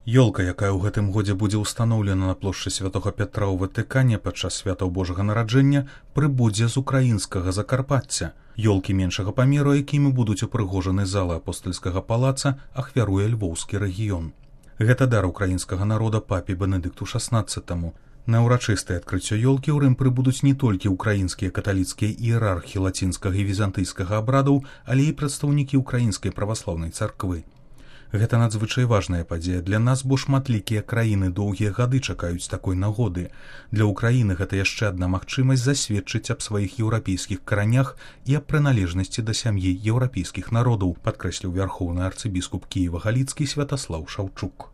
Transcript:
Ёлка, якая ў гэтым годзе будзе ўстаноўлена на плошчы Святога Пятра ў Ватыкане падчас святаў Божага нараджэння, прыбудзе з украінскага Закарпацця. Ёлкі меншага памеру, якімі будуць упрыгожаны залы апостальскага палаца, ахвяруе львоўскі рэгіён. Гэта дар украінскага народа папе Бенедыкту XVI. На ўрачыстае адкрыццё ёлкі ў Рым прыбудуць не толькі ўкраінскія каталіцкія іерархі лацінскага і візантыйскага абрадаў, але і прадстаўнікі ўкраінскай праваслаўнай царквы. Гэта надзвычай важная падзея для нас, бо шматлікія краіны доўгія гады чакаюць такой нагоды. Для ўкраіны гэта яшчэ адна магчымасць засведчыць аб сваіх еўрапейскіх каранях і аб прыналежнасці да сям'і еўрапейскіх народаў, падкрэсліў вярхоўны арцыбіскуп Кіева-Галіцкі Святаслаў Шаўчук.